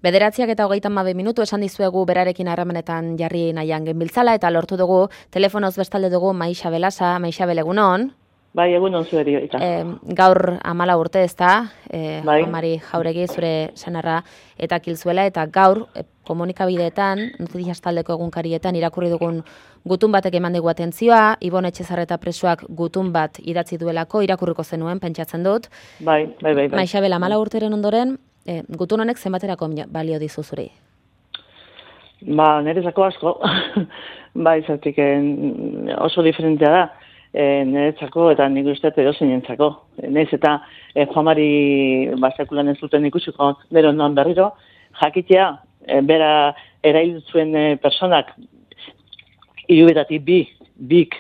Bederatziak eta 32 minutu esan dizuegu berarekin harremanetan jarri nahian genbiltzala eta lortu dugu telefonoz bestalde dugu Maixa Belasa. Maixa, egunon. Bai, egunon zueri. Gaur 14 urte ez da, bai. Amari Jauregi zure senarra eta kilzuela, eta gaur komunikabideetan, Noticias taldeko egunkarietan irakurri dugun gutun batek eman digu atentzioa, Ibon Etxezarreta presoak gutun bat idatzi duelako, irakurriko zenuen, pentsatzen dut. Bai. Maixa Bela, 14 urteren ondoren, gutun honek zenbaterako balio dizu zuri? Nerezako asko. Bai, zertik oso diferentea da. Niretzako eta nik uste edozeinentzako. Naiz eta Juanmari sekulan ez duten ikusiko bero ondoan berriro, jakitea, bera erail zuen personak hirubetatik bik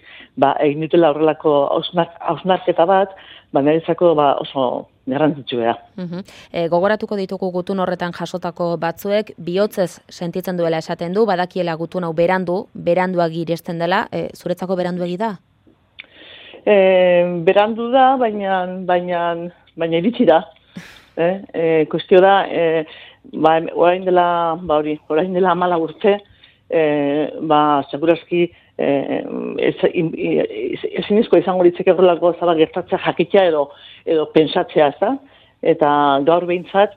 egin dutela horrelako hausnarketa bat, niretzako oso garrantzitsua da. Gogoratuko ditugu gutun horretan jasotako batzuek, bihotzez sentitzen duela esaten du, badakiela gutun hau beranduagi iresten dela, zuretzako beranduegi da? Berandu da, baina iritsi da. Kuestio da, orain dela 14 urte, segurazki ezinezko izango litzeke horrelako zaba gertatzea jakitea edo pentsatzea, ez da? Eta gaur behintzat,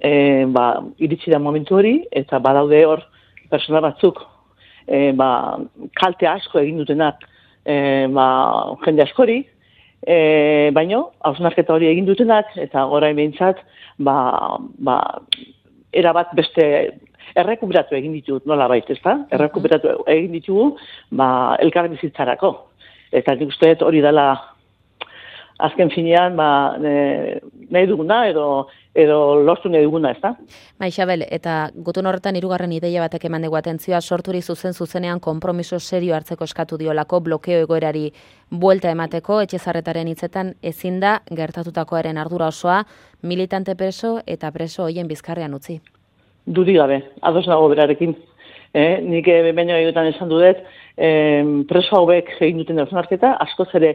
iritsi da momentu hori, eta badaude hor persona batzuk, kalte asko egin dutenak, jende askori, baino, hausnarketa hori egin dutenak, eta orain behintzat, erabat beste errekuperatu egin ditut, nola baita, ezta? Errekuperatu egin ditugu, elkar bizitzarako. Eta nik uste hori dela azken finean, nahi duguna edo lortu nahi duguna, ezta? Maixabel, eta gutun horretan hirugarren ideia batek eman dugu atentzioa, sorturi zuzenean konpromiso serio hartzeko eskatu diolako, blokeo egoerari buelta emateko, Etxezarretaren hitzetan ezin da gertatutakoaren ardura osoa, militante preso eta preso hoien bizkarrean utzi. Dudik gabe, ados nago berarekin. Nik baino egutan esan dudet, preso hauek egin duten hausnarketa, askoz ere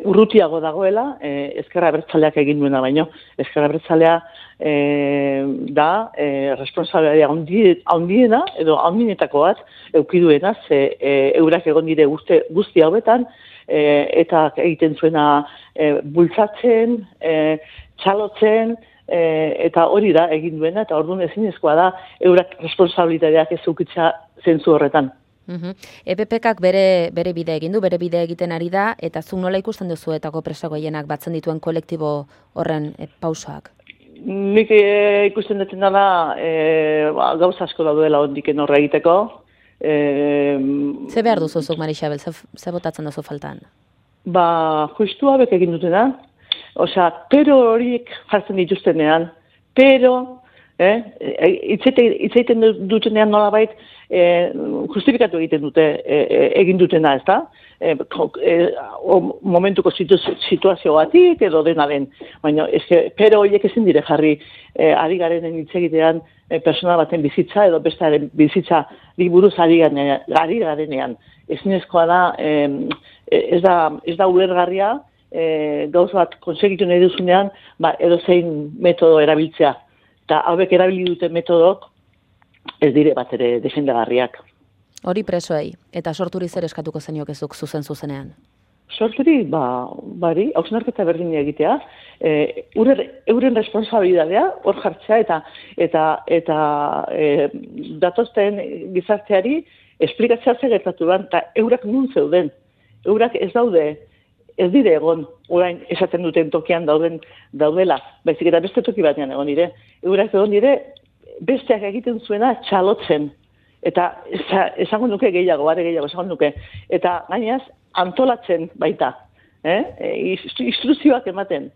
urrutiago dagoela, Ezker Abertzaleak egin duena baino. Ezker Abertzalea da responsabilitatea handiena edo handienetako bat eukiduena, ze eurak egon dire guzti hauetan, eta egiten zuena bultzatzen, txalotzen, eta hori da egin duena, eta orduan ezinezkoa da eurak responsabilitateak ez eukitza zentzu horretan. EPPkak bere bide egin du, bere bide egiten ari da, eta zuk nola ikusten duzuetako preso gehienak batzen dituen kolektibo horren pausoak? Nik ikusten dutena da gauza asko daudela ondiken horre egiteko. Ze behar duzuzuk, Marixabel, ze botatzen duzu faltan? Justu hauek egin dutena, pero horiek jartzen dituztenean, itzaiten dutenean nolabait justifikatu egiten dute egin dutena, ez da? Momentuko situazioatik edo dena den. Baina, pero horiek ezin dire jarri ari garenen hitz egitean persona baten bizitza edo bestaren bizitza buruz ari garenean. Ezinezkoa da, ez da ulergarria, gauz bat konsegitu nahi duzunean, edozein metodo erabiltzea. Eta hauek erabili duten metodok ez dire bat ere defendagarriak. Hori presoei, eta sorturi zer eskatuko zenioke zuk zuzenean? Sorturi, hausnarketa berdina egitea, euren responsabilidadea hor jartzea eta datozten gizarteari esplikatzea zer gertatu ban, eta eurak nun zeuden. Eurak ez dire egon, orain esaten duten tokian daudela, baizik eta beste toki batean egon dire. Eurak egon dire, besteak egiten zuena txalotzen. Eta esango nuke gehiago esango nuke. Eta gainaz, antolatzen baita. Instruzioak ematen.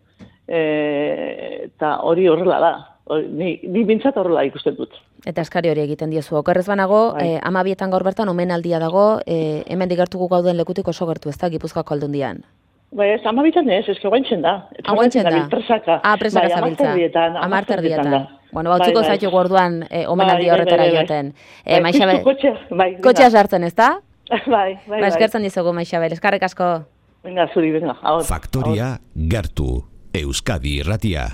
Eta hori horrela da. Ni bintzat horrela ikusten dut. Eta eskari hori egiten diezu. Okerrez banago, 12 gaur bertan omenaldia dago, hemen digertuko gauden lekutik oso gertu ez da, Gipuzkoako Aldundian. Ez, 12 ez, eske guaintzen da. Guaintzen da? Presaka. Presaka zabiltza. 10 Bueno, bautzuko zaitu gorduan omenaldi horretara joaten. Kotxea sartzen, ez da? Bai. Eskertzen dizugu, Maixabel, eskarrik asko. Venga, zuri, venga. Faktoria gertu, Euskadi Irratia.